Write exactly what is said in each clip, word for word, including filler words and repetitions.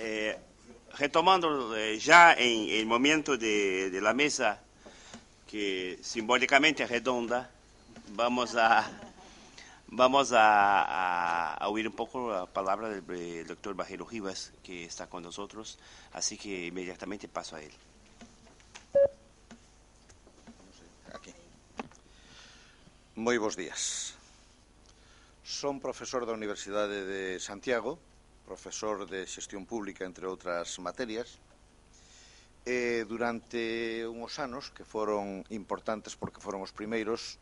Eh, retomando eh, ya en el momento de, de la mesa, que simbólicamente es redonda, vamos a, vamos a, a, a oír un poco la palabra del, del doctor Bajero Rivas, que está con nosotros, así que inmediatamente paso a él. Aquí. Moi bons días. Son profesor da Universidade de Santiago, profesor de xestión pública, entre outras materias, e durante uns anos, que foron importantes porque foron os primeiros,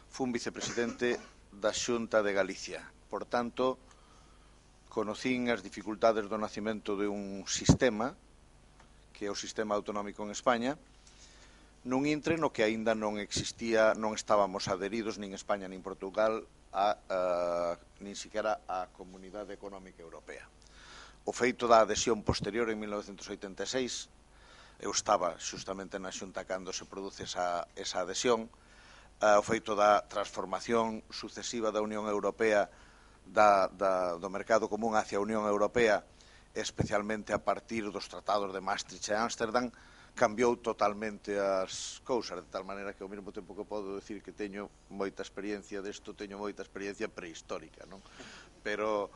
fun vicepresidente da Xunta de Galicia. Por tanto, conocín as dificultades do nacimento de un sistema, que é o sistema autonómico en España, nun intre no que aínda non existía, non estábamos adheridos nin España nin Portugal a, a nin siquiera a Comunidade Económica Europea. O feito da adhesión posterior en mil novecentos oitenta e seis, eu estaba xustamente na Xunta cando se produce esa, esa adhesión, uh, o feito da transformación sucesiva da Unión Europea da, da, do mercado común hacia a Unión Europea, especialmente a partir dos tratados de Maastricht e Ámsterdam, cambiou totalmente as cousas, de tal maneira que ao mesmo tempo que podo decir que teño moita experiencia desto, teño moita experiencia prehistórica, non? Pero,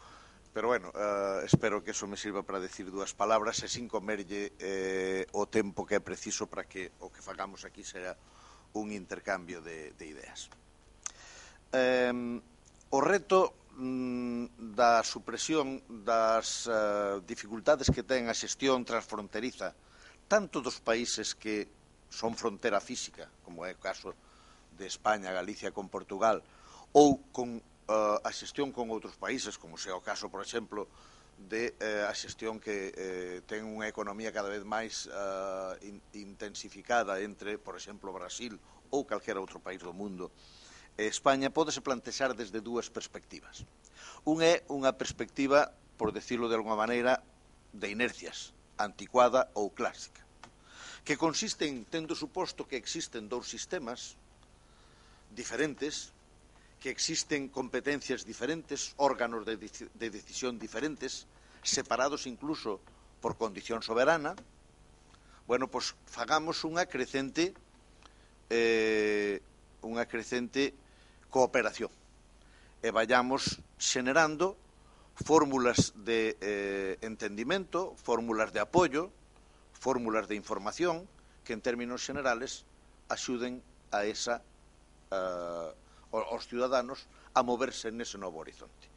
pero bueno, uh, espero que eso me sirva para decir dúas palabras e sin comerlle eh, o tempo que é preciso para que o que fagamos aquí sea un intercambio de, de ideas. Eh, o reto mm, da supresión das uh, dificultades que ten a xestión transfronteriza tanto dos países que son frontera física, como é o caso de España, Galicia con Portugal, ou con uh, a xestión con outros países, como sea o caso, por exemplo, de uh, a xestión que uh, ten unha economía cada vez máis uh, in, intensificada entre, por exemplo, Brasil ou calquera outro país do mundo. España pódese plantexar desde dúas perspectivas. Un é unha perspectiva, por decirlo de alguma maneira, de inercias, anticuada ou clásica, que consiste en, tendo suposto que existen dous sistemas diferentes, que existen competencias diferentes, órganos de, de decisión diferentes, separados incluso por condición soberana, bueno, pois fagamos unha crecente eh, unha crecente cooperación e vayamos xenerando fórmulas de eh, entendimento, fórmulas de apoio, fórmulas de información que en términos generales axuden a esa, uh, aos ciudadanos a moverse nese novo horizonte.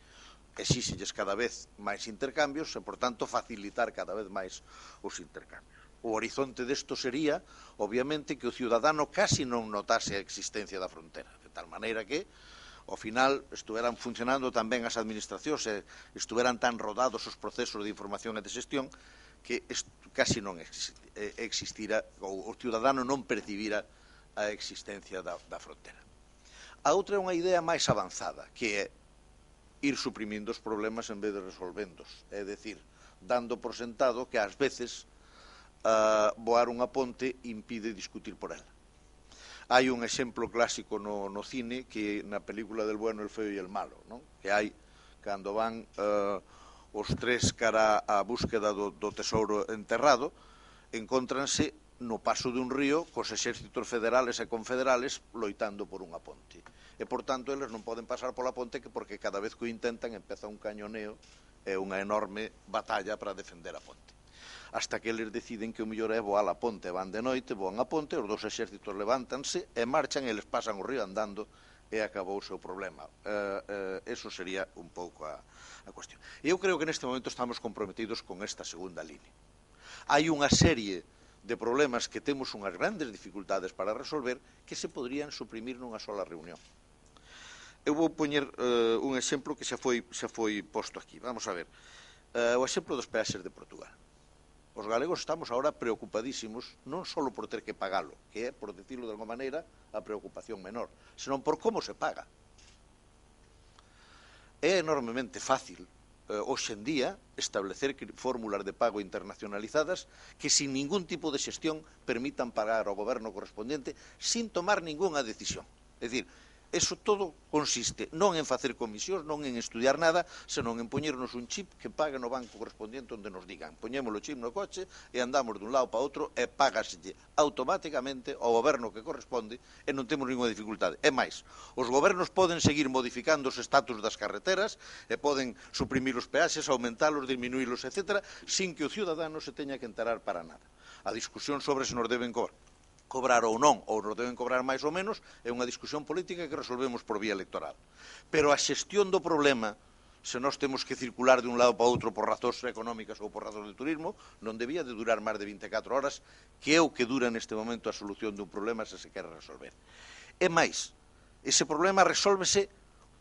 Exíxelles cada vez máis intercambios e, por tanto, facilitar cada vez máis os intercambios. O horizonte desto sería, obviamente, que o ciudadano casi non notase a existencia da frontera, de tal maneira que ao final estuveran funcionando tan ben as administracións e estuveran tan rodados os procesos de información e de xestión que casi non existira, ou o ciudadano non percibira a existencia da, da frontera. A outra é unha idea máis avanzada, que é ir suprimindo os problemas en vez de resolvendos, é dicir, dando por sentado que ás veces uh, voar unha ponte impide discutir por ela. Hai un exemplo clásico no, no cine que na película del bueno, el feo e el malo, non? Que hai cando van uh, os tres cara á búsqueda do, do tesouro enterrado, encóntranse no paso dun río cos exércitos federales e confederales loitando por unha ponte. E, por tanto, eles non poden pasar pola ponte que porque cada vez que o intentan empeza un cañoneo e unha enorme batalla para defender a ponte. Hasta que eles deciden que o mellor é voar a ponte, van de noite, voan a ponte, os dous exércitos levántanse e marchan e eles pasan o río andando e acabou o seu problema. Uh, uh, eso sería un pouco a, a cuestión. E eu creo que neste momento estamos comprometidos con esta segunda línea. Hai unha serie de problemas que temos unhas grandes dificultades para resolver que se podrían suprimir nunha sola reunión. Eu vou poñer uh, un exemplo que xa foi, xa foi posto aquí. Vamos a ver. Uh, o exemplo dos peaxes de Portugal. Os galegos estamos agora preocupadísimos non só por ter que pagalo, que é, por decirlo de alguma maneira, a preocupación menor, senón por como se paga. É enormemente fácil, eh, hoxe en día, establecer fórmulas de pago internacionalizadas que, sin ningún tipo de xestión, permitan pagar ao goberno correspondiente sin tomar ningunha decisión. É dicir, eso todo consiste non en facer comisións, non en estudiar nada, senón en poñernos un chip que pague no banco correspondiente onde nos digan. Poñémolo chip no coche e andamos dun lado para outro e págaselle automáticamente ao goberno que corresponde e non temos ninguna dificultade. É máis, os gobernos poden seguir modificando os estatus das carreteras e poden suprimir os peaxes, aumentalos, disminuílos, etcétera, sin que o ciudadano se teña que enterar para nada. A discusión sobre se nos deben cobrar cobrar ou non, ou nos deben cobrar máis ou menos, é unha discusión política que resolvemos por vía electoral. Pero a xestión do problema, se nós temos que circular de un lado para outro por razóns económicas ou por razóns de turismo, non debía de durar máis de vinte e catro horas, que é o que dura neste momento a solución dun problema se se quere resolver. É máis, ese problema resólvese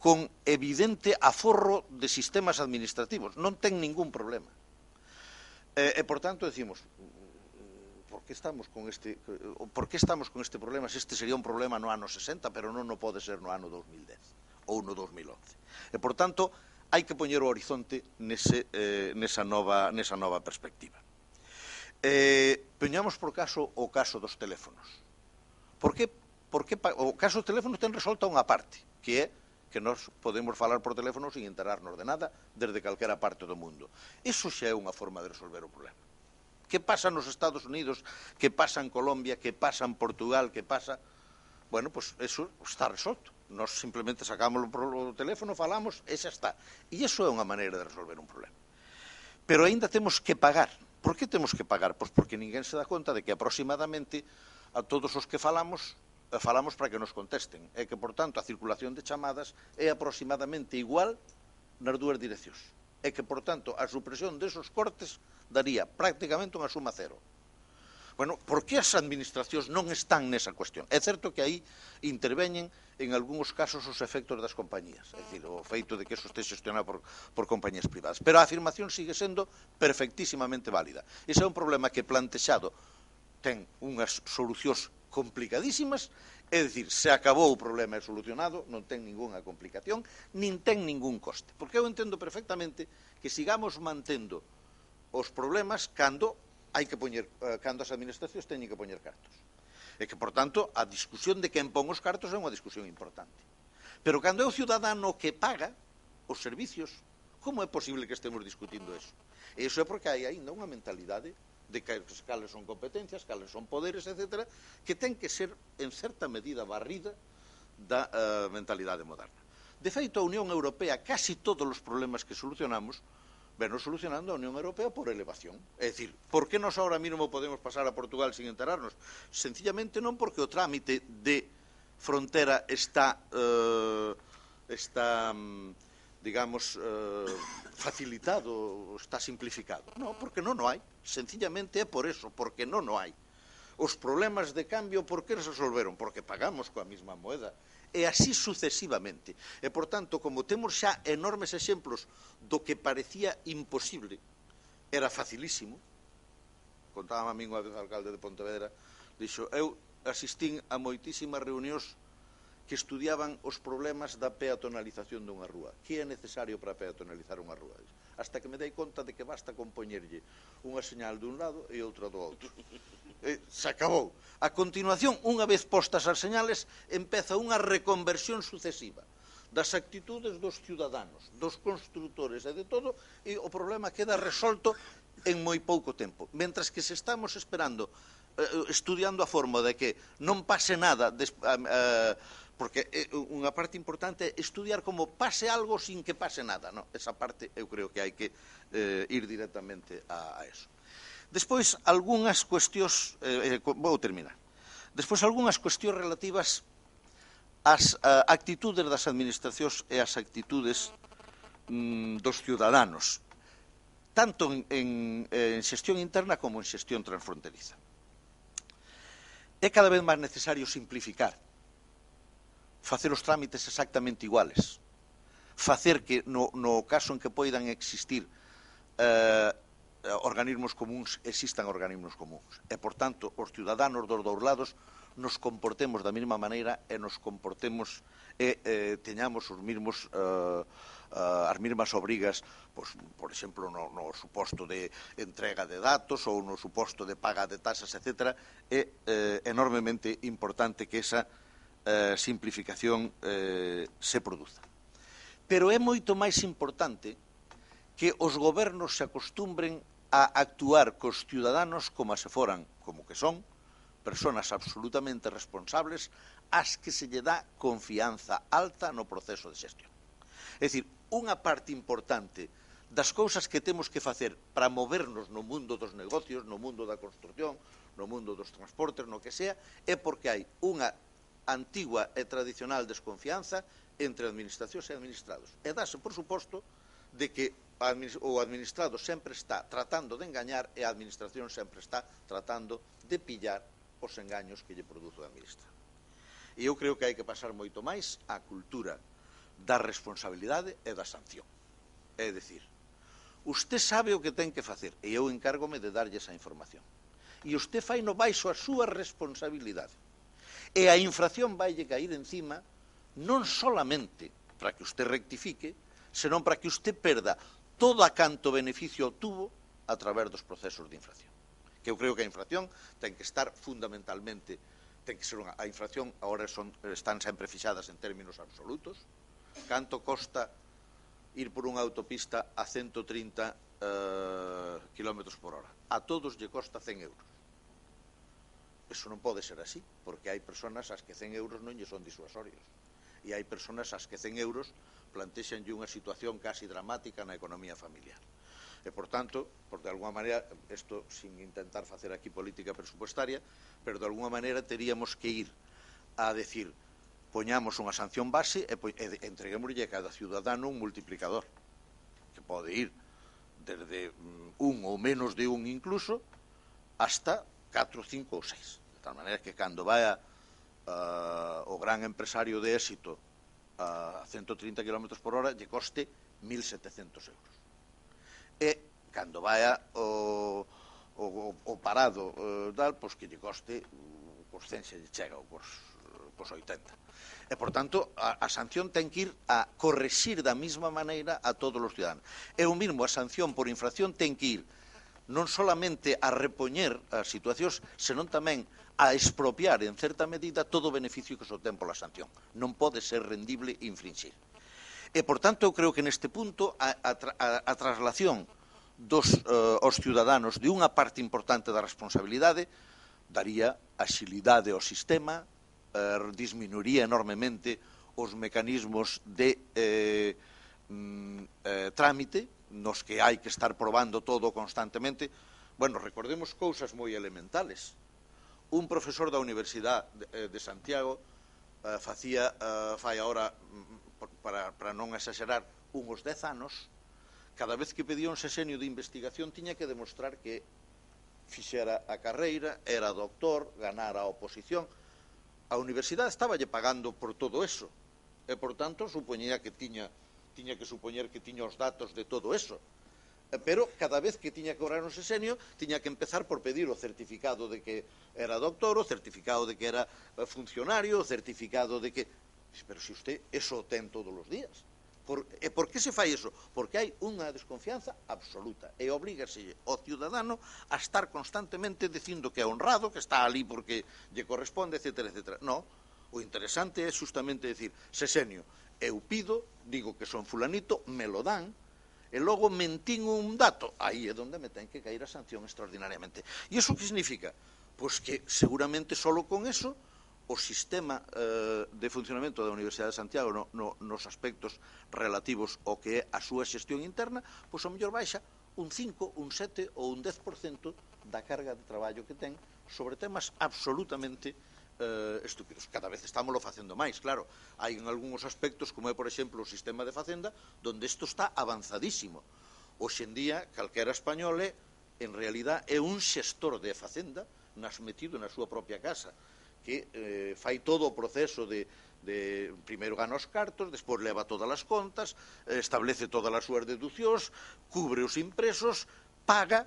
con evidente aforro de sistemas administrativos, non ten ningún problema. E, e por tanto, decimos, por que estamos con este por que estamos con este problema se este sería un problema no ano sesenta, pero non o pode ser no ano dos mil dez ou no dos mil once. E, por tanto, hai que poñer o horizonte nese, eh, nesa, nova, nesa nova perspectiva. Eh, poñamos por caso o caso dos teléfonos. Por que, por que o caso dos teléfonos ten resolta unha parte, que é que nós podemos falar por teléfono sin enterarnos de nada desde calquera parte do mundo. Iso xa é unha forma de resolver o problema. Que pasa nos Estados Unidos, que pasa en Colombia, que pasa en Portugal, que pasa... Bueno, pois pues eso está resolto. Nós simplemente sacamos o teléfono, falamos, e xa está. E iso é unha maneira de resolver un problema. Pero aínda temos que pagar. Por que temos que pagar? Pois porque ninguén se dá conta de que aproximadamente a todos os que falamos, falamos para que nos contesten. E que, por tanto, a circulación de chamadas é aproximadamente igual nas dúas direccións. E que, por tanto, a supresión desos cortes daría prácticamente unha suma cero. Bueno, por que as administracións non están nesa cuestión? É certo que aí interveñen en algúns casos os efectos das compañías, é dicir, o feito de que eso este xestionado por, por compañías privadas. Pero a afirmación sigue sendo perfectísimamente válida. Ese é un problema que plantexado ten unhas solucións complicadísimas, é dicir, se acabou o problema é solucionado, non ten ningunha complicación, nin ten ningún coste. Porque eu entendo perfectamente que sigamos mantendo os problemas cando hai que poñer, cando as administracións teñen que poñer cartos. E que, por tanto, a discusión de quen pon os cartos é unha discusión importante. Pero cando é o ciudadano que paga os servicios, como é posible que estemos discutindo eso? E iso é porque hai ainda unha mentalidade de que cales son competencias, cales son poderes, etcétera, que ten que ser, en certa medida, barrida da uh, mentalidade moderna. De feito, a Unión Europea, casi todos os problemas que solucionamos, venos solucionando a Unión Europea por elevación. É dicir, por que nós ahora mesmo podemos pasar a Portugal sin enterarnos? Sencillamente non porque o trámite de frontera está, eh, está digamos, eh, facilitado, está simplificado. Non, porque non o hai. Sencillamente é por eso, porque non o hai. Os problemas de cambio, por que se resolveron? Porque pagamos coa mesma moeda. E así sucesivamente. E, por tanto, como temos xa enormes exemplos do que parecía imposible, era facilísimo. Contaba a mí unha vez o alcalde de Pontevedra, dixo, eu asistín a moitísimas reunións que estudiaban os problemas da peatonalización dunha rúa. Que é necesario para peatonalizar unha rúa? Hasta que me dei conta de que basta compoñerlle unha señal dun lado e outra do outro. Eh, se acabou. A continuación, unha vez postas as señales, empeza unha reconversión sucesiva das actitudes dos ciudadanos, dos construtores e de todo, e o problema queda resolto en moi pouco tempo. Mentras que se estamos esperando, eh, estudiando a forma de que non pase nada, des, eh, porque eh, unha parte importante é estudiar como pase algo sin que pase nada. No? Esa parte eu creo que hai que eh, ir directamente a, a eso. Despois, algunhas cuestións, eh, vou terminar, despois algunhas cuestións relativas ás uh, actitudes das administracións e ás actitudes mm, dos ciudadanos, tanto en, en, en xestión interna como en xestión transfronteriza. É cada vez máis necesario simplificar, facer os trámites exactamente iguales, facer que no, no caso en que poidan existir eh, organismos comuns, existan organismos comuns. E, por tanto, os ciudadanos dos dous lados nos comportemos da mesma maneira e nos comportemos e eh, teñamos os mesmos, eh, eh, as mesmas obrigas, pues, por exemplo, no, no suposto de entrega de datos ou no suposto de paga de tasas, etcétera. É eh, enormemente importante que esa eh, simplificación eh, se produza. Pero é moito máis importante que os gobernos se acostumbren a actuar cos ciudadanos como se foran, como que son, personas absolutamente responsables ás que se lle dá confianza alta no proceso de xestión. É dicir, unha parte importante das cousas que temos que facer para movernos no mundo dos negocios, no mundo da construcción, no mundo dos transportes, no que sea, é porque hai unha antigua e tradicional desconfianza entre administracións e administrados. E dáse, por suposto, de que o administrado sempre está tratando de engañar e a administración sempre está tratando de pillar os engaños que lle produzo a administrar. E eu creo que hai que pasar moito máis á cultura da responsabilidade e da sanción. É dicir, usted sabe o que ten que facer e eu encárgome de darlle esa información. E usted fai no baixo a súa responsabilidade. E a infracción vai lle cair encima non solamente para que usted rectifique, senón para que usted perda todo a canto beneficio obtuvo a través dos procesos de infracción. Que eu creo que a infracción ten que estar fundamentalmente, ten que ser unha, a infracción agora son, están sempre fixadas en términos absolutos. Canto costa ir por unha autopista a ciento trinta eh, kilómetros por hora? A todos lle costa cen euros. Eso non pode ser así, porque hai personas ás que cen euros non lle son disuasorios. E hai personas ás que cen euros plantexanlle unha situación casi dramática na economía familiar. E, por tanto, por de alguma maneira, isto sin intentar facer aquí política presupuestaria, pero de alguma maneira teríamos que ir a decir, poñamos unha sanción base e, e entreguémoslle a cada ciudadano un multiplicador, que pode ir desde un ou menos de un incluso, hasta catro, cinco ou seis. De tal maneira que cando vaya uh, o gran empresario de éxito a ciento trinta kilómetros por hora lle coste mil setecentos euros. E cando vaya o, o, o parado uh, tal, pois que lle coste cos cen se lle chega ou cos, cos oitenta. E, por tanto, a, a sanción ten que ir a correxir da mesma maneira a todos os ciudadanos. E o mismo, a sanción por infracción ten que ir non solamente a repoñer as situacións, senón tamén a expropiar, en certa medida, todo o beneficio que se obtén pola sanción. Non pode ser rendible infringir. E, por tanto, eu creo que neste punto a, a, a traslación dos eh, aos ciudadanos de unha parte importante da responsabilidade daría axilidade ao sistema, eh, disminuiría enormemente os mecanismos de eh, mm, eh, trámite nos que hai que estar probando todo constantemente. Bueno, recordemos cousas moi elementales. Un profesor da Universidade de, de Santiago eh, facía, eh, fai agora, para, para non exagerar, uns dez anos, cada vez que pedía un sexenio de investigación tiña que demostrar que fixera a carreira, era doctor, ganara a oposición. A universidade estaba lle pagando por todo eso, e, por tanto, supoñía que tiña, tiña que supoñer que tiña os datos de todo eso. Pero cada vez que tiña que cobrar un sexenio tiña que empezar por pedir o certificado de que era doctor, o certificado de que era funcionario, o certificado de que... Pero se usted eso ten todos os días. Por, e por que se fai iso? Porque hai unha desconfianza absoluta e oblígase ao ciudadano a estar constantemente dicindo que é honrado, que está ali porque lle corresponde, etcétera, etcétera. No, o interesante é justamente decir, sexenio, eu pido, digo que son fulanito, me lo dan, e logo mentín un dato, aí é onde me ten que caer a sanción extraordinariamente. E iso que significa? Pois que seguramente solo con eso o sistema eh, de funcionamento da Universidade de Santiago no, no, nos aspectos relativos ao que é a súa xestión interna, pois ao mellor baixa un cinco, un sete ou un dez por cento da carga de traballo que ten sobre temas absolutamente eh, estúpidos. Cada vez estámoslo facendo máis, claro. Hai en algúns aspectos, como é, por exemplo, o sistema de Facenda, donde isto está avanzadísimo. Hoxe en día, calquera español é, en realidad, é un xestor de Facenda, nas metido na súa propia casa, que eh, fai todo o proceso de, de primeiro gana os cartos, despois leva todas as contas, eh, establece todas as súas deducións, cubre os impresos, paga,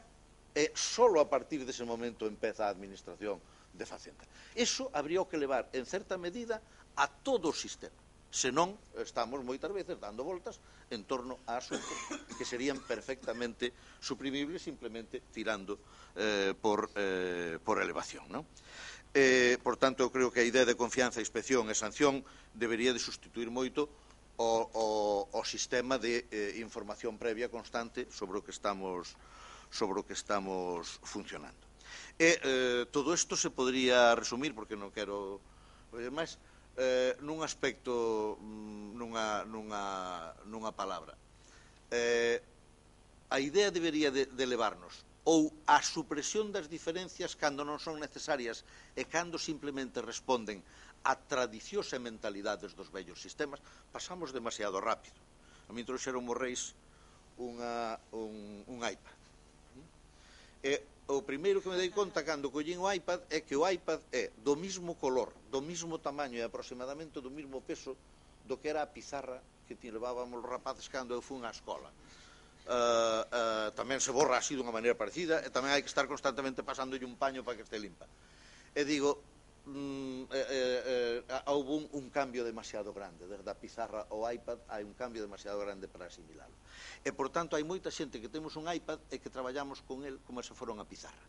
e solo a partir dese momento empeza a administración de Facenda. Iso habría que levar, en certa medida, a todo o sistema. Senón, estamos moitas veces dando voltas en torno a asuntos que serían perfectamente suprimibles simplemente tirando eh, por, eh, por elevación, non? Eh, por tanto, eu creo que a idea de confianza, inspección e sanción debería de sustituir moito o, o, o sistema de eh, información previa constante sobre o que estamos, sobre o que estamos funcionando. E eh, todo isto se podría resumir, porque non quero máis, eh, nun aspecto, nunha, nunha, nunha palabra. Eh, a idea debería de, de levarnos ou a supresión das diferencias cando non son necesarias e cando simplemente responden a tradicións e mentalidades dos vellos sistemas, pasamos demasiado rápido. A mí trouxeron os reis unha, un, un iPad. E o primeiro que me dei conta cando collín o iPad é que o iPad é do mismo color, do mismo tamaño e aproximadamente do mismo peso do que era a pizarra que levábamos os rapaces cando eu fui á escola. Uh, uh, tamén se borra así dunha maneira parecida e tamén hai que estar constantemente pasándolle un paño para que este limpa. E digo, mm, eh, eh, houve un, un cambio demasiado grande, desde a pizarra ao iPad hai un cambio demasiado grande para asimilarlo. E, por tanto, hai moita xente que temos un iPad e que traballamos con el como se fora unha pizarra.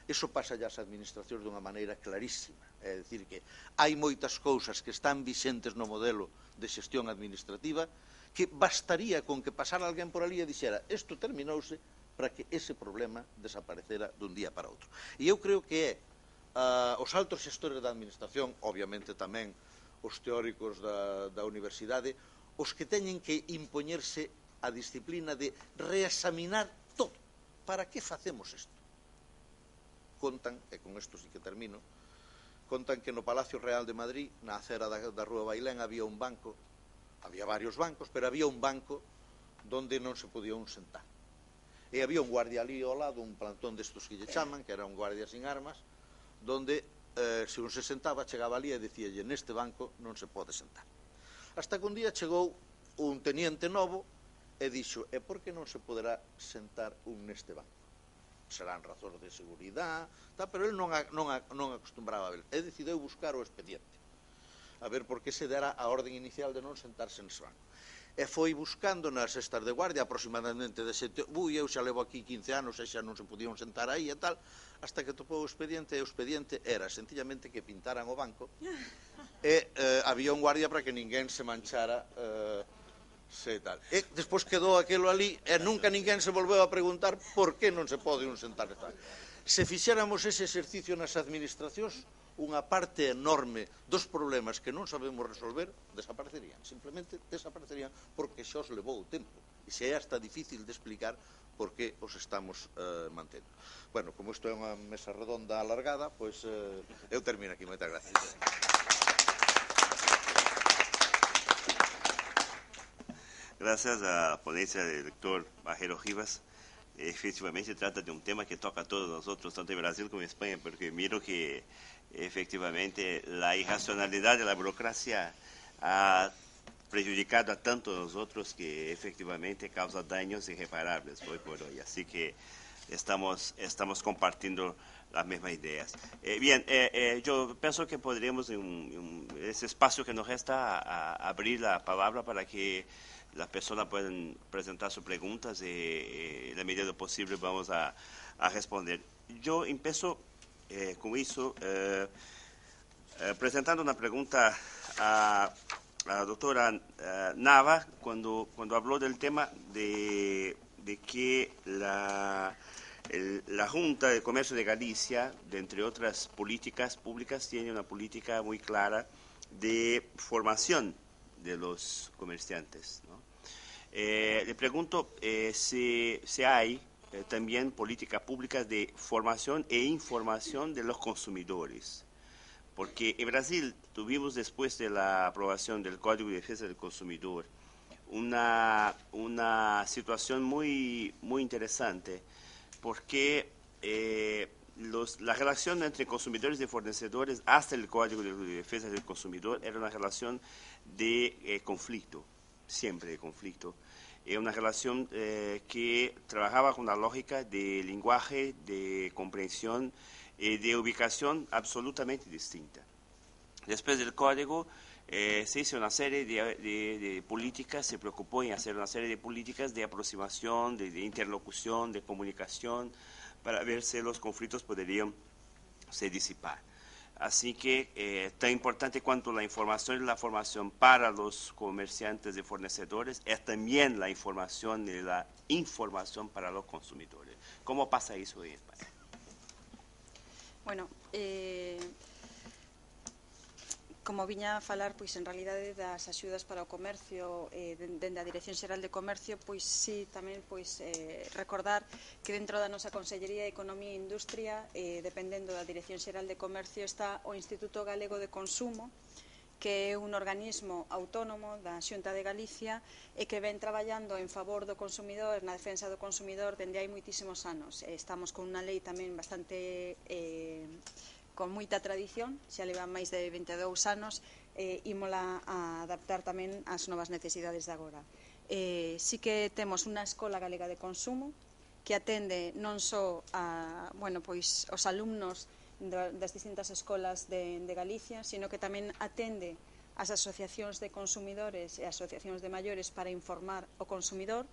Iso pasa ya as administracións dunha maneira clarísima. É dicir que hai moitas cousas que están vixentes no modelo de xestión administrativa que bastaría con que pasara alguén por ali e dixera isto terminouse para que ese problema desaparecera dun día para outro. E eu creo que é uh, os altos xestores da administración, obviamente tamén os teóricos da, da universidade, os que teñen que impoñerse a disciplina de reexaminar todo. Para que facemos isto? Contan, e con isto sí que termino, contan que no Palacio Real de Madrid, na acera da, da Rúa Bailén, había un banco. Había varios bancos, pero había un banco donde non se podía un sentar. E había un guardia ali ao lado, un plantón destos que lle chaman, que era un guardia sin armas, donde, eh, se un se sentaba, chegaba ali e dicíalle, neste banco non se pode sentar. Hasta que un día chegou un teniente novo e dixo, e por que non se poderá sentar un neste banco? Serán razóns de seguridade, tá, pero ele non, a, non, a, non acostumbraba a ver. E decideu buscar o expediente, a ver por que se dera a orden inicial de non sentarse nese banco. E foi buscando nas cestas de guardia aproximadamente de sete... Ui, eu xa levo aquí quince anos e xa non se podían sentar aí e tal, hasta que topou o expediente, e o expediente era sencillamente que pintaran o banco e eh, había un guardia para que ninguén se manchara eh, se tal. E despois quedou aquilo ali e nunca ninguén se volveu a preguntar por que non se pode un sentar e tal. Se fixéramos ese exercicio nas administracións, unha parte enorme dos problemas que non sabemos resolver desaparecerían, simplemente desaparecerían porque xa os levou o tempo e xa é hasta difícil de explicar por que os estamos eh, mantendo. Bueno, como isto é unha mesa redonda alargada, pois eh, eu termino aquí. Moitas gracias. Gracias a la ponencia del doctor Bajero Rivas. Efectivamente trata de un tema que toca a todos nosotros, tanto en Brasil como en España, porque miro que efectivamente la irracionalidad de la burocracia ha prejudicado a tanto a nosotros que efectivamente causa daños irreparables hoy por hoy. Así que estamos, estamos compartiendo las mismas ideas. Eh, bien, eh, eh, yo pienso que podríamos, en, en ese espacio que nos resta, a, a abrir la palabra para que las personas puedan presentar sus preguntas y, y en la medida de lo posible vamos a, a responder. Yo empiezo eh, con eso, eh, eh, presentando una pregunta a, a la doctora eh, Nava, cuando, cuando habló del tema de, de que la, el, la Junta de Comercio de Galicia, de entre otras políticas públicas, tiene una política muy clara de formación de los comerciantes, ¿no? Eh, le pregunto eh, si, si hay eh, también políticas públicas de formación e información de los consumidores, porque en Brasil tuvimos, después de la aprobación del Código de Defensa del Consumidor, una, una situación muy, muy interesante, porque eh, los, la relación entre consumidores y fornecedores hasta el Código de Defensa del Consumidor era una relación de eh, conflicto, siempre de conflicto. Es una relación eh, que trabajaba con una lógica de lenguaje, de comprensión y de ubicación absolutamente distinta. Después del código eh, se hizo una serie de, de, de políticas, se preocupó en hacer una serie de políticas de aproximación, de, de interlocución, de comunicación, para ver si los conflictos podrían se disipar. Así que eh, tan importante cuanto la información y la formación para los comerciantes y fornecedores es también la información y la información para los consumidores. ¿Cómo pasa eso en España? Bueno, eh, como viña a falar, pois en realidade das axudas para o comercio eh, dende a Dirección Xeral de Comercio, pois sí, tamén pois eh, recordar que dentro da nosa Consellería de Economía e Industria, eh, dependendo da Dirección Xeral de Comercio, está o Instituto Galego de Consumo, que é un organismo autónomo da Xunta de Galicia e que ven traballando en favor do consumidor, na defensa do consumidor, dende hai moitísimos anos. Estamos con unha lei tamén bastante eh, con moita tradición, xa leva máis de vinte e dous anos, eh, ímola a adaptar tamén ás novas necesidades de agora. Eh, sí que temos unha escola galega de consumo que atende non só a, bueno, pois, os alumnos das distintas escolas de, de Galicia, sino que tamén atende as asociacións de consumidores e asociacións de maiores para informar o consumidor.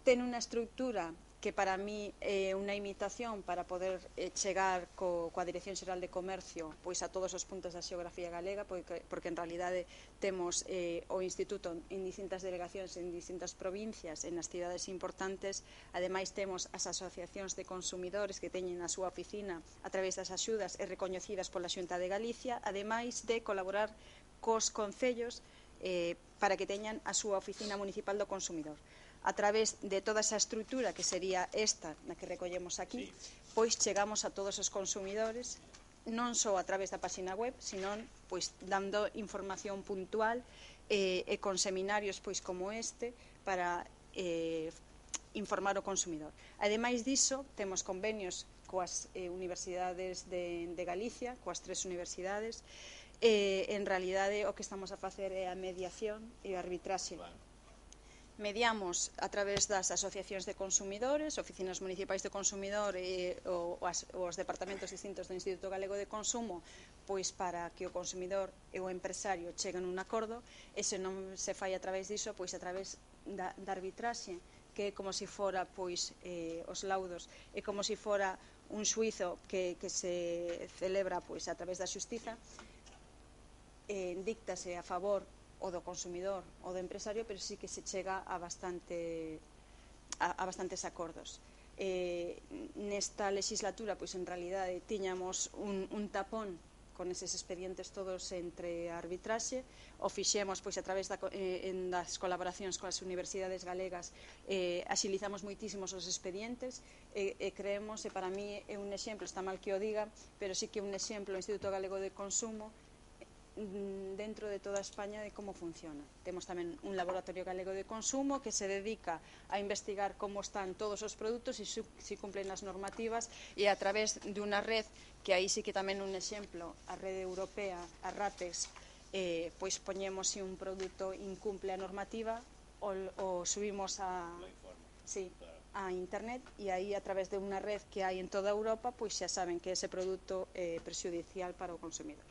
Ten unha estructura que para mí é unha imitación para poder eh, chegar co, coa Dirección Xeral de Comercio pois a todos os puntos da xeografía galega, porque, porque en realidade temos eh, o Instituto en distintas delegacións, en distintas provincias, en as cidades importantes. Ademais temos as asociacións de consumidores que teñen a súa oficina a través das axudas e recoñecidas pola Xunta de Galicia, ademais de colaborar cos concellos eh, para que teñan a súa oficina municipal do consumidor. A través de toda esa estrutura que sería esta na que recollemos aquí, pois chegamos a todos os consumidores, non só a través da página web, senón pois dando información puntual eh, e con seminarios pois como este para eh, informar o consumidor. Ademais diso, temos convenios coas eh, universidades de, de Galicia, coas tres universidades. Eh, en realidade o que estamos a facer é a mediación e a arbitraxe. Mediamos a través das asociacións de consumidores, oficinas municipais de consumidor e o, as, os departamentos distintos do Instituto Galego de Consumo, pois para que o consumidor e o empresario cheguen a un acordo, e se non se fai a través diso, pois a través da, da arbitraxe, que é como se fora pois eh, os laudos, é como se fora un xuizo que, que se celebra pois a través da xustiza, eh, díctase a favor o do consumidor ou do empresario, pero sí que se chega a bastante a, a bastantes acordos. Eh, nesta legislatura, pois en realidade tiñamos un, un tapón con eses expedientes todos entre a arbitraxe, o fixemos pois a través da, eh, en das colaboracións coas universidades galegas, eh, axilizamos moitísimos os expedientes e, e creemos, e para mí é un exemplo, está mal que o diga, pero sí que é un exemplo o Instituto Galego de Consumo dentro de toda España de como funciona. Temos tamén un laboratorio galego de consumo que se dedica a investigar como están todos os produtos e se cumplen as normativas, e a través de unha red que aí sí que tamén un exemplo, a rede europea, a RAPEX, eh, pois poñemos se un produto incumple a normativa o, o subimos a, sí, a internet, e aí a través de unha red que hai en toda Europa, pois xa saben que ese produto é prexudicial para o consumidor.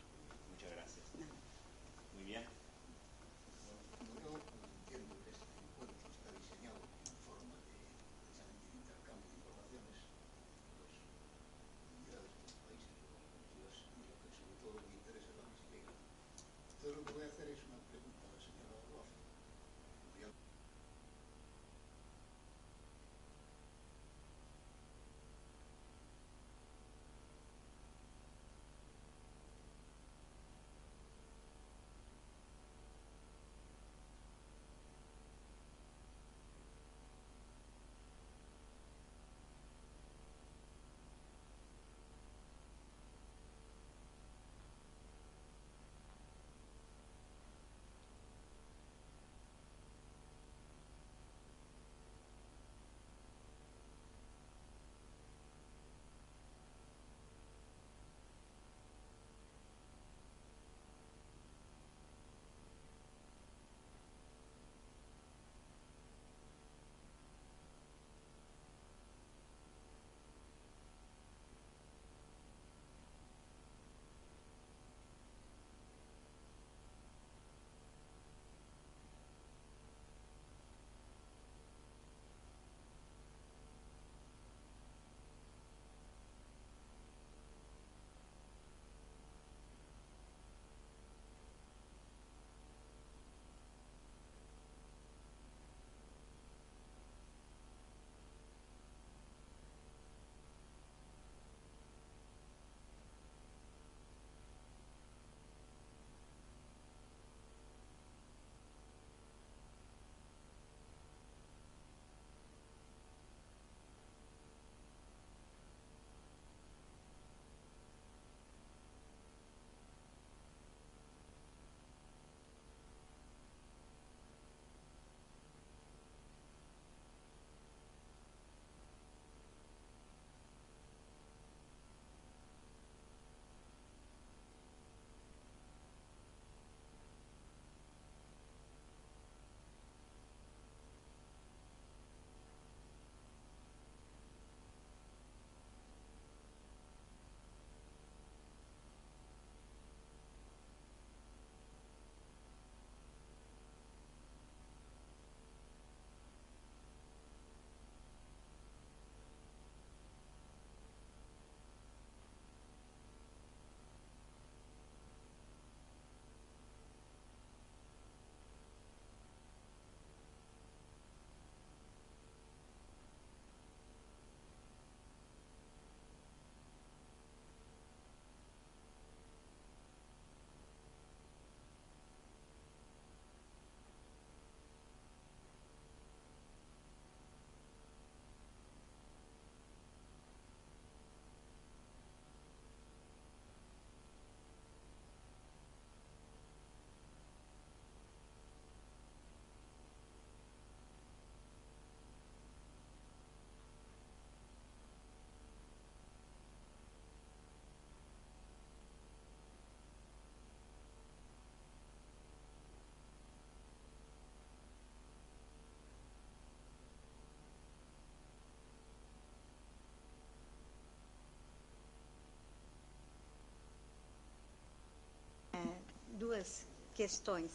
duas questões.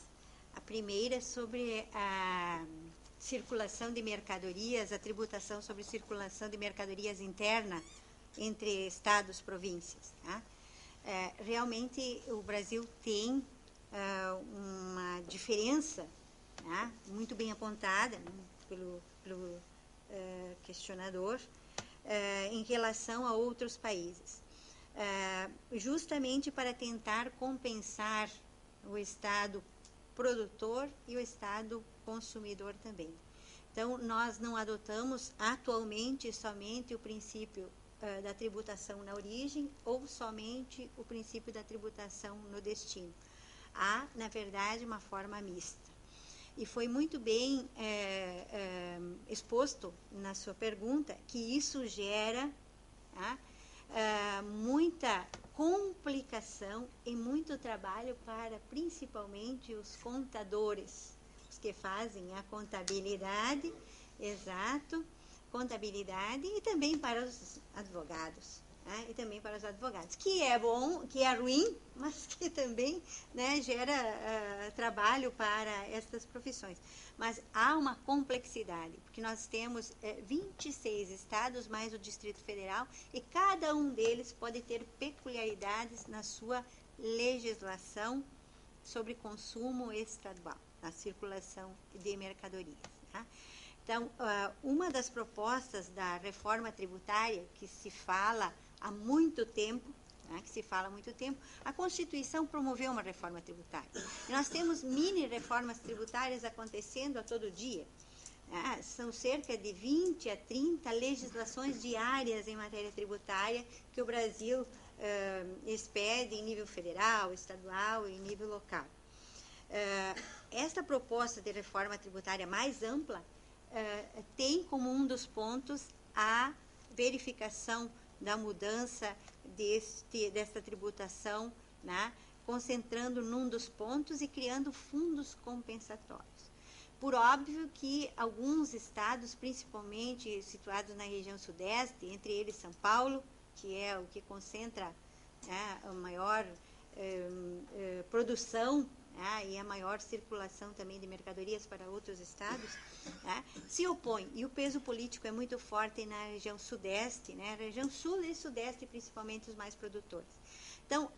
A primeira é sobre a circulação de mercadorias, a tributação sobre circulação de mercadorias interna entre estados e províncias. Tá? É, realmente, o Brasil tem uh, uma diferença, tá? Muito bem apontada, né, pelo, pelo uh, questionador, uh, em relação a outros países. Uh, justamente para tentar compensar o estado produtor e o estado consumidor também. Então, nós não adotamos atualmente somente o princípio uh, da tributação na origem ou somente o princípio da tributação no destino. Há, na verdade, uma forma mista. E foi muito bem é, é, exposto na sua pergunta que isso gera tá, é, muita complicação e muito trabalho para, principalmente, os contadores, os que fazem a contabilidade, exato, contabilidade, e também para os advogados, né, e também para os advogados, que é bom, que é ruim, mas que também, né, gera uh, trabalho para estas profissões. Mas há uma complexidade, porque nós temos uh, vinte e seis estados, mais o Distrito Federal, e cada um deles pode ter peculiaridades na sua legislação sobre consumo estadual, na circulação de mercadorias. Tá? Então, uh, uma das propostas da reforma tributária, que se fala há muito tempo, né, que se fala há muito tempo, a Constituição promoveu uma reforma tributária. E nós temos mini reformas tributárias acontecendo a todo dia. Né? São cerca de vinte a trinta legislações diárias em matéria tributária que o Brasil uh, expede em nível federal, estadual e em nível local. Uh, esta proposta de reforma tributária mais ampla uh, tem como um dos pontos a verificação da mudança deste, desta tributação, né, concentrando num dos pontos e criando fundos compensatórios. Por óbvio que alguns estados, principalmente situados na região sudeste, entre eles São Paulo, que é o que concentra, né, a maior eh, eh, produção, né, e a maior circulação também de mercadorias para outros estados, né, se opõe. E o peso político é muito forte na região sudeste, né, região sul e sudeste, principalmente os mais produtores. Então,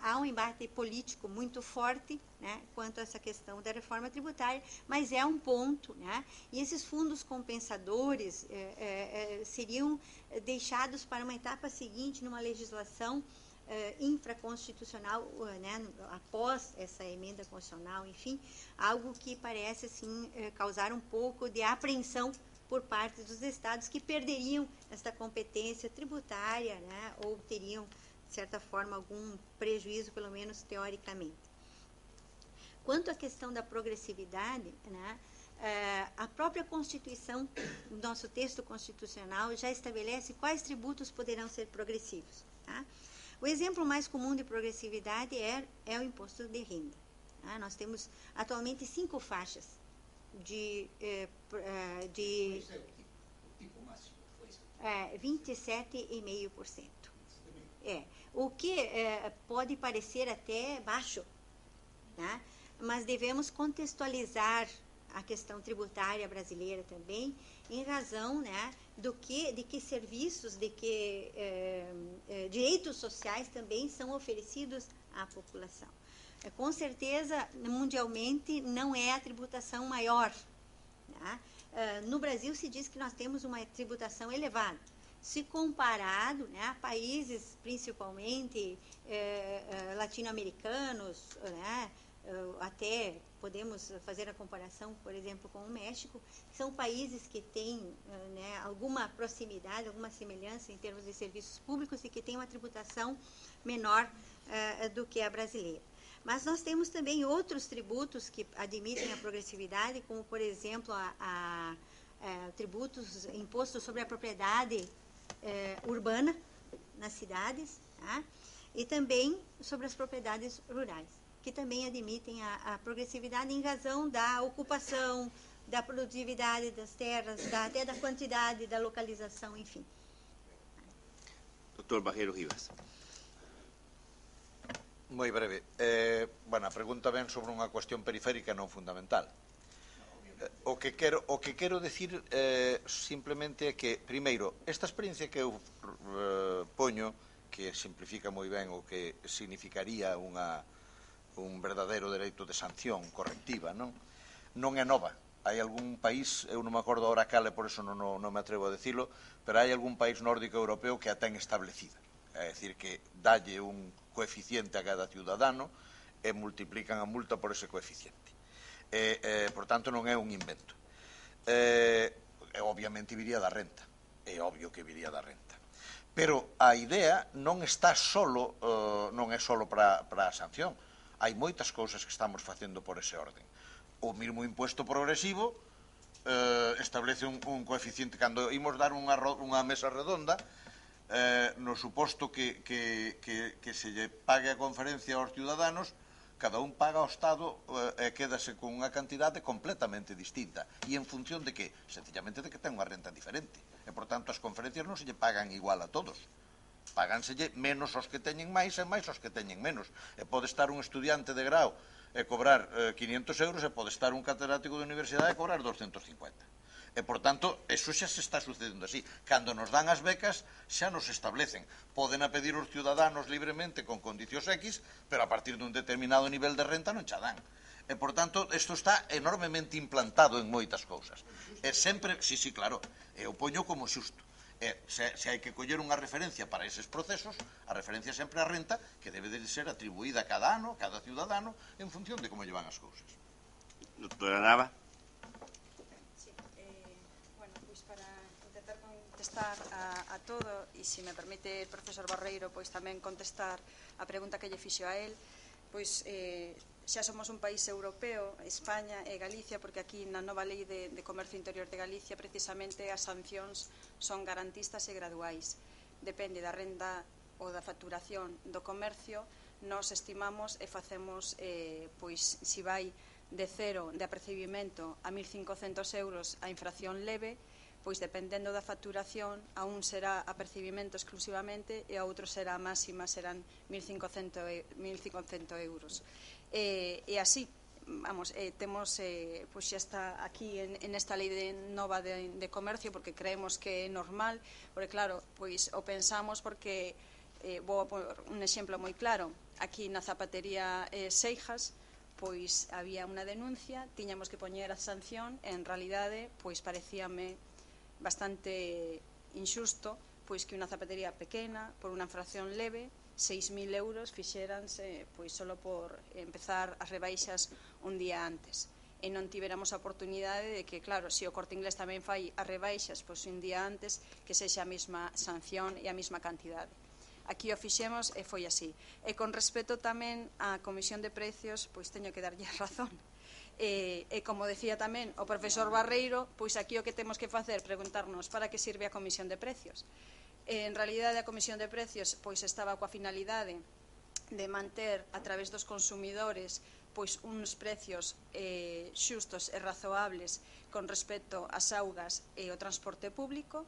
há um embate político muito forte, né, quanto a essa questão da reforma tributária, mas é um ponto, né, e esses fundos compensadores é, é, seriam deixados para uma etapa seguinte numa legislação Uh, infraconstitucional, uh, né, após essa emenda constitucional, enfim, algo que parece assim uh, causar um pouco de apreensão por parte dos estados que perderiam esta competência tributária, né, ou teriam, de certa forma, algum prejuízo, pelo menos teoricamente. Quanto à questão da progressividade, né, uh, a própria Constituição, o nosso texto constitucional, já estabelece quais tributos poderão ser progressivos. Tá? O exemplo mais comum de progressividade é, é o imposto de renda. Tá? Nós temos atualmente cinco faixas de, eh, de é, vinte e sete vírgula cinco por cento. É, o que é, pode parecer até baixo, tá? Mas devemos contextualizar a questão tributária brasileira também, em razão, né, do que, de que serviços, de que eh, eh, direitos sociais também são oferecidos à população. É, com certeza, mundialmente, não é a tributação maior. Tá? Uh, no Brasil se diz que nós temos uma tributação elevada. Se comparado, né, a países principalmente eh, eh, latino-americanos, né, uh, até podemos fazer a comparação, por exemplo, com o México, que são países que têm uh, né, alguma proximidade, alguma semelhança em termos de serviços públicos e que têm uma tributação menor uh, do que a brasileira. Mas nós temos também outros tributos que admitem a progressividade, como, por exemplo, a, a, a tributos, impostos sobre a propriedade eh, urbana nas cidades, tá? E também sobre as propriedades rurais, que também admitem a, a progressividade em razão da ocupação, da produtividade das terras, da, até da quantidade, da localização, enfim. doutor Barreiro Rivas. Moi breve. Eh, bueno, a pregunta ven sobre unha cuestión periférica non fundamental. Eh, o que quero, o que quero decir eh, simplemente é que, primeiro, esta experiencia que eu eh, poño, que simplifica moi ben o que significaría unha, un verdadeiro dereito de sanción correctiva, non? Non é nova. Hai algún país, eu non me acordo ahora cal, e por eso non, non, non me atrevo a decirlo, pero hai algún país nórdico europeo que a ten establecida. É dicir, que dalle un coeficiente a cada ciudadano e multiplican a multa por ese coeficiente. E, eh, por tanto, non é un invento. Eh, e, obviamente, viría da renta. É obvio que viría da renta. Pero a idea non está solo, eh, non é solo para, para a sanción. Hai moitas cousas que estamos facendo por ese orden. O mesmo impuesto progresivo eh, establece un, un coeficiente. Cando imos dar unha, unha mesa redonda, eh, no suposto que, que, que, que se lle pague a conferencia aos ciudadanos, cada un paga ao Estado e eh, quédase con unha cantidade completamente distinta. E en función de que? Sencillamente de que ten unha renta diferente. E, por tanto, as conferencias non se lle pagan igual a todos. Páganselle menos aos que teñen máis e máis aos que teñen menos. E pode estar un estudiante de grau e cobrar eh, quinientos euros e pode estar un catedrático de universidade e cobrar doscientos cincuenta. E, por tanto, eso xa se está sucedendo así. Cando nos dan as becas, xa nos establecen. Poden a pedir os ciudadanos libremente con condicións X, pero a partir dun determinado nivel de renta non xa dan. E, por tanto, isto está enormemente implantado en moitas cousas. E sempre, sí, sí, claro, eu poño como xusto. E, se, se hai que coller unha referencia para eses procesos, a referencia sempre a renta, que debe de ser atribuída cada ano, cada ciudadano, en función de como llevan as cousas. Doctora Nava. Contestar a, a todo e se me permite o profesor Barreiro pois tamén contestar a pregunta que lle fixo a él, pois eh, xa somos un país europeo, España e Galicia, porque aquí na nova lei de, de comercio interior de Galicia precisamente as sancións son garantistas e graduais, depende da renda ou da facturación do comercio. Nos estimamos e facemos eh, pois se vai de cero de apercibimento a mil cincocentos euros a infracción leve, pois dependendo da facturación, a un será apercibimento exclusivamente e a outro será máxima, serán mil cincocentos euros. E, e así, vamos, eh, temos, eh, pois xa está aquí en, en esta lei de nova de, de comercio, porque creemos que é normal, porque claro, pois o pensamos porque, eh, vou por un exemplo moi claro, aquí na zapatería eh, Seijas, pois había unha denuncia, tiñamos que poñer a sanción, e en realidade, pois parecíame bastante injusto pois que unha zapatería pequena, por unha infracción leve, seis mil euros fixéranse pois solo por empezar as rebaixas un día antes. E non tiveramos a oportunidade de que, claro, se o Corte Inglés tamén fai as rebaixas pois un día antes, que sexa a mesma sanción e a mesma cantidade. Aquí o fixemos e foi así. E con respecto tamén á Comisión de Precios, pois teño que darlle razón. E, e como decía tamén o profesor Barreiro, pois aquí o que temos que facer, preguntarnos para que sirve a Comisión de Precios. E, en realidade a Comisión de Precios pois estaba coa finalidade de manter a través dos consumidores pois uns precios eh, xustos e razoables con respecto ás augas e o transporte público,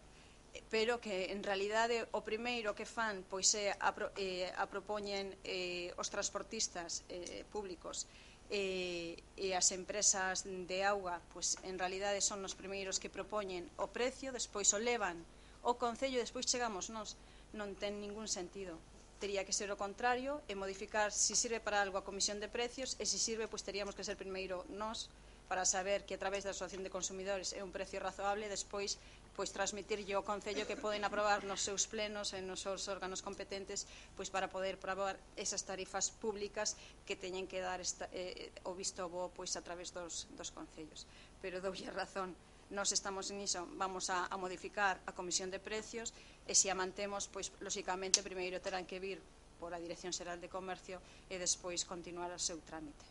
pero que en realidade o primeiro que fan pois é a, eh, a propoñen eh, os transportistas eh, públicos e, e as empresas de auga, pois en realidade son os primeiros que propoñen o precio, despois o levan o Concello e despois chegamos nós. Non ten ningún sentido. Tería que ser o contrario e modificar se sirve para algo a Comisión de Precios, e se sirve, pois teríamos que ser primeiro nós para saber que a través da Asociación de Consumidores é un precio razoable, e despois pois transmitirlle ao Concello que poden aprobar nos seus plenos e nos seus órganos competentes pois para poder aprobar esas tarifas públicas que teñen que dar esta, eh, o visto bo pois a través dos, dos concellos. Pero doulle razón, nós estamos niso, vamos a, a modificar a Comisión de Precios, e se a mantemos, pois lóxicamente primeiro terán que vir por a Dirección Xeral de Comercio e despois continuar o seu trámite.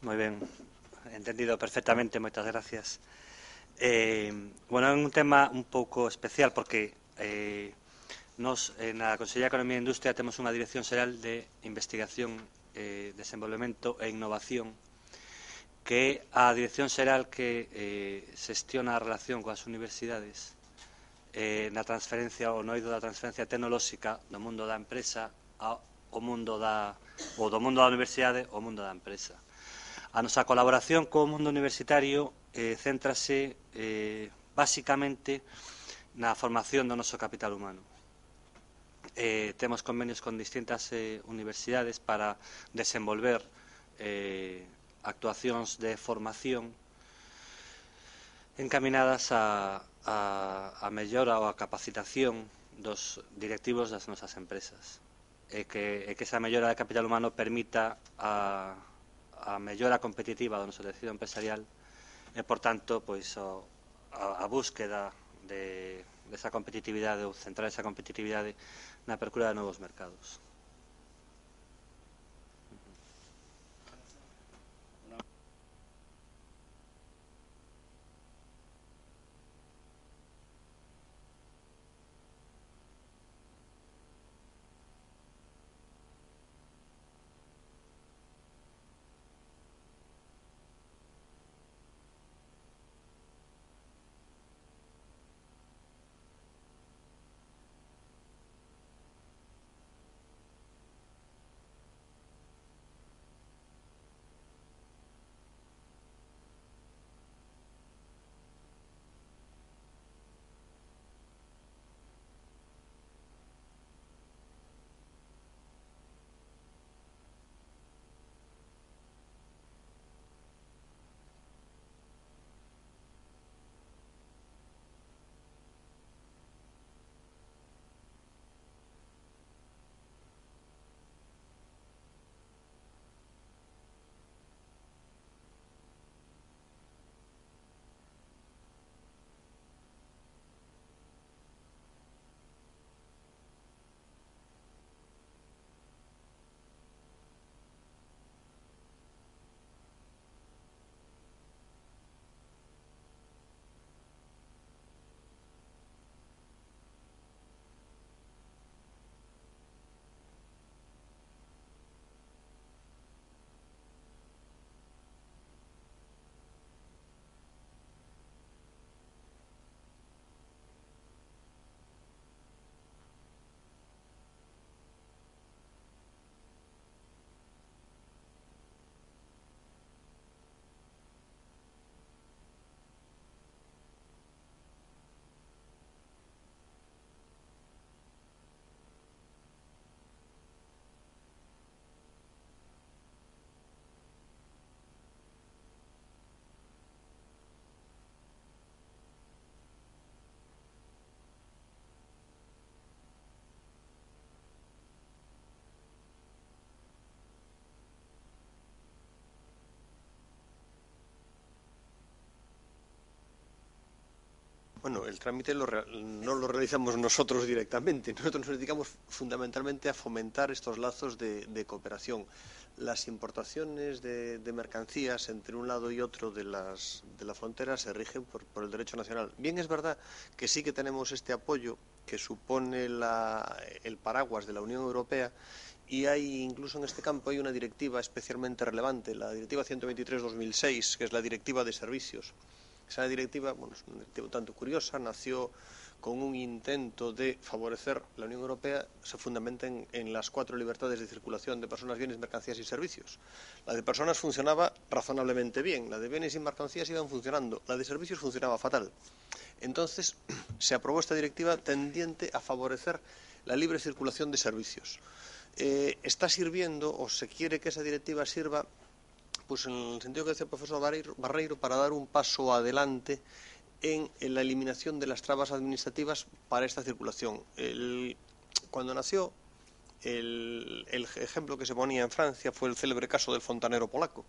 Moi ben, entendido perfectamente, moitas gracias. Eh, bueno, é un tema un pouco especial porque eh, nos, na Consellería de Economía e Industria, temos unha Dirección Xeral de Investigación, eh, Desenvolvemento e Innovación, que é a Dirección Xeral que eh, xestiona a relación coas universidades eh, na transferencia, ou no eido da transferencia tecnolóxica do mundo da empresa ao mundo da, ou do mundo da universidade ao mundo da empresa. A nosa colaboración co mundo universitario eh, céntrase eh, basicamente na formación do noso capital humano. Eh, temos convenios con distintas eh, universidades para desenvolver eh, actuacións de formación encaminadas a, a, a mellora ou a capacitación dos directivos das nosas empresas e que, e que esa mellora de capital humano permita a, a mellora competitiva do noso tecido empresarial e, por tanto, pois, o, a, a búsqueda de, desa competitividade ou centrar esa competitividade na apertura de novos mercados. Bueno, el trámite lo, no lo realizamos nosotros directamente. Nosotros nos dedicamos fundamentalmente a fomentar estos lazos de, de cooperación. Las importaciones de, de mercancías entre un lado y otro de, las, de la frontera se rigen por, por el derecho nacional. Bien, es verdad que sí que tenemos este apoyo que supone la, el paraguas de la Unión Europea, y hay, incluso en este campo, hay una directiva especialmente relevante, la Directiva ciento veintitrés barra dos mil seis, que es la Directiva de Servicios. Esa directiva, bueno, es una directiva un tanto curiosa, nació con un intento de favorecer la Unión Europea, se fundamenta en, en las cuatro libertades de circulación de personas, bienes, mercancías y servicios. La de personas funcionaba razonablemente bien, la de bienes y mercancías iban funcionando, la de servicios funcionaba fatal. Entonces se aprobó esta directiva tendiente a favorecer la libre circulación de servicios. Eh, está sirviendo, o se quiere que esa directiva sirva, pues en el sentido que decía el profesor Barreiro, Barreiro, para dar un paso adelante en, en la eliminación de las trabas administrativas para esta circulación. El, cuando nació, el, el ejemplo que se ponía en Francia fue el célebre caso del fontanero polaco.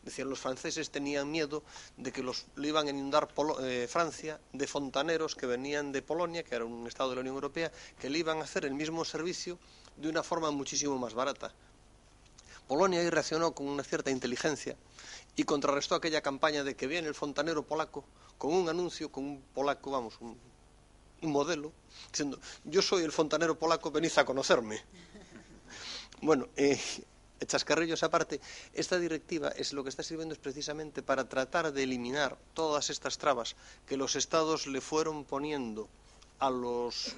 Decían, los franceses tenían miedo de que los, le iban a inundar Polo, eh, Francia de fontaneros que venían de Polonia, que era un estado de la Unión Europea, que le iban a hacer el mismo servicio de una forma muchísimo más barata. Polonia ahí reaccionó con una cierta inteligencia y contrarrestó aquella campaña de que viene el fontanero polaco con un anuncio, con un polaco, vamos, un, un modelo, diciendo, yo soy el fontanero polaco, venid a conocerme. Bueno, eh, chascarrillos aparte, esta directiva es lo que está sirviendo es precisamente para tratar de eliminar todas estas trabas que los estados le fueron poniendo a los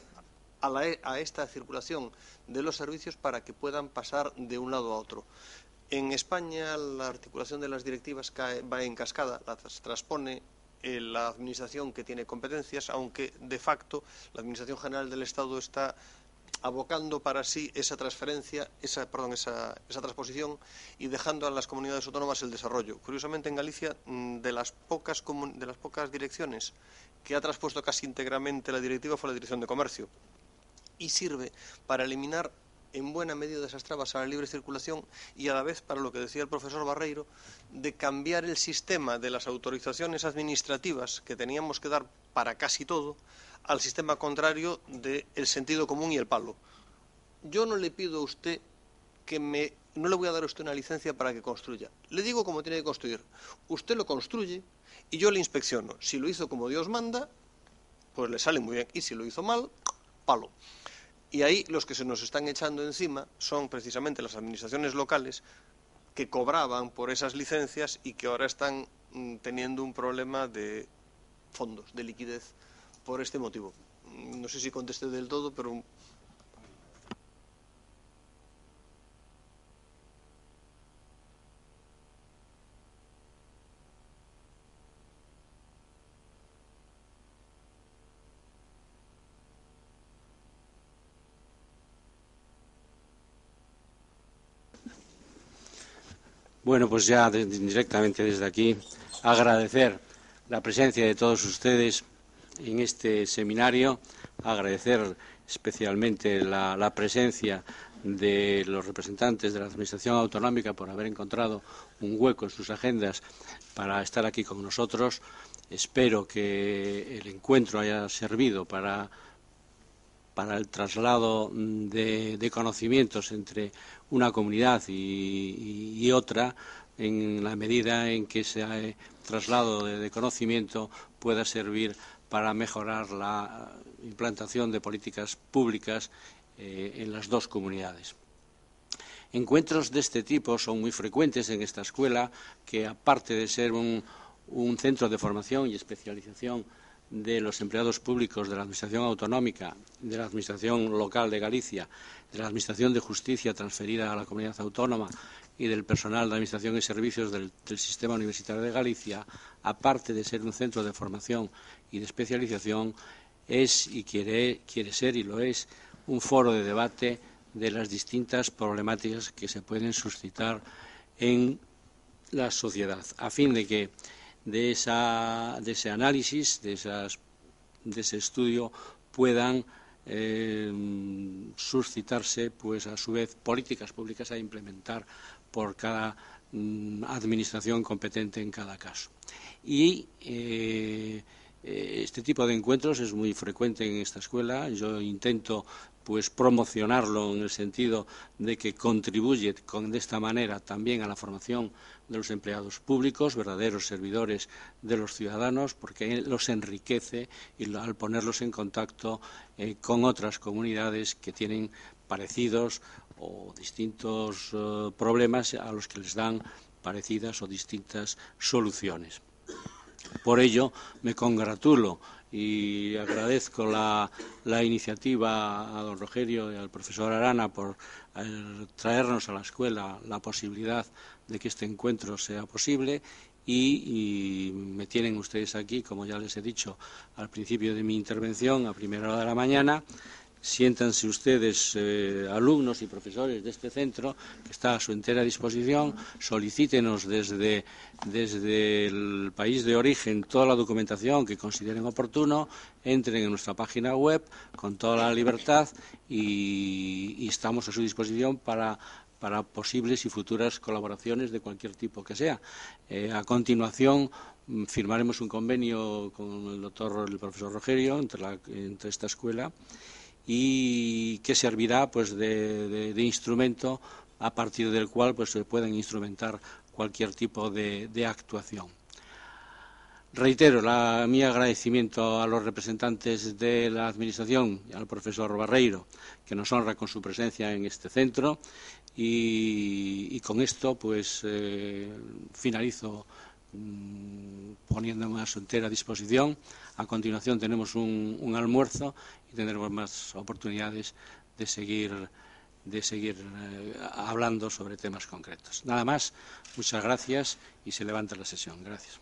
a, la, a esta circulación de los servicios para que puedan pasar de un lado a otro. En España la articulación de las directivas cae, va en cascada, las transpone eh, la administración que tiene competencias, aunque de facto la Administración General del Estado está abocando para sí esa transferencia, esa, perdón, esa, esa transposición y dejando a las comunidades autónomas el desarrollo. Curiosamente, en Galicia, de las pocas, de las pocas direcciones que ha traspuesto casi íntegramente la directiva fue la Dirección de Comercio y sirve para eliminar en buena medida esas trabas a la libre circulación y a la vez, para lo que decía el profesor Barreiro, de cambiar el sistema de las autorizaciones administrativas que teníamos que dar para casi todo al sistema contrario del sentido común y el palo. Yo no le pido a usted que me... no le voy a dar a usted una licencia para que construya. Le digo cómo tiene que construir. Usted lo construye y yo le inspecciono. Si lo hizo como Dios manda, pues le sale muy bien. Y si lo hizo mal, palo. Y ahí los que se nos están echando encima son precisamente las administraciones locales que cobraban por esas licencias y que ahora están mm, teniendo un problema de fondos, de liquidez, por este motivo. No sé si contesté del todo, pero... Bueno, pues ya de, directamente desde aquí agradecer la presencia de todos ustedes en este seminario, agradecer especialmente la, la presencia de los representantes de la Administración Autonómica por haber encontrado un hueco en sus agendas para estar aquí con nosotros. Espero que el encuentro haya servido para, para el traslado de, de conocimientos entre una comunidad y, y, y otra, en la medida en que ese traslado de, de conocimiento pueda servir para mejorar la implantación de políticas públicas eh, en las dos comunidades. Encuentros de este tipo son muy frecuentes en esta escuela, que aparte de ser un, un centro de formación y especialización de los empleados públicos de la Administración Autonómica, de la Administración Local de Galicia, de la Administración de Justicia transferida a la Comunidad Autónoma y del personal de Administración y Servicios del, del Sistema Universitario de Galicia, aparte de ser un centro de formación y de especialización, es y quiere, quiere ser y lo es un foro de debate de las distintas problemáticas que se pueden suscitar en la sociedad, a fin de que de, esa, de ese análisis, de, esas, de ese estudio, puedan eh, suscitarse, pues a su vez, políticas públicas a implementar por cada mm, administración competente en cada caso. Y eh, este tipo de encuentros es muy frecuente en esta escuela. Yo intento pues promocionarlo en el sentido de que contribuye con, de esta manera también a la formación de los empleados públicos, verdaderos servidores de los ciudadanos, porque los enriquece y al ponerlos en contacto eh, con otras comunidades que tienen parecidos o distintos eh, problemas a los que les dan parecidas o distintas soluciones. Por ello, me congratulo y agradezco la, la iniciativa a don Rogerio y al profesor Arana por eh, traernos a la escuela la posibilidad de que este encuentro sea posible y, y me tienen ustedes aquí, como ya les he dicho al principio de mi intervención, a primera hora de la mañana. Siéntanse ustedes, eh, alumnos y profesores de este centro, que está a su entera disposición. Solicítenos desde, desde el país de origen toda la documentación que consideren oportuno. Entren en nuestra página web con toda la libertad y, y estamos a su disposición para, para posibles y futuras colaboraciones de cualquier tipo que sea. Eh, a continuación, firmaremos un convenio con el doctor, el profesor Rogerio, entre, la, entre esta escuela, y que servirá pues de, de, de instrumento a partir del cual pues, se pueden instrumentar cualquier tipo de, de actuación. Reitero la, mi agradecimiento a los representantes de la Administración y al profesor Barreiro, que nos honra con su presencia en este centro, y, y con esto pues eh, finalizo mmm, poniéndome a su entera disposición. A continuación tenemos un, un almuerzo y tendremos más oportunidades de seguir, de seguir eh, hablando sobre temas concretos. Nada más, muchas gracias y se levanta la sesión. Gracias.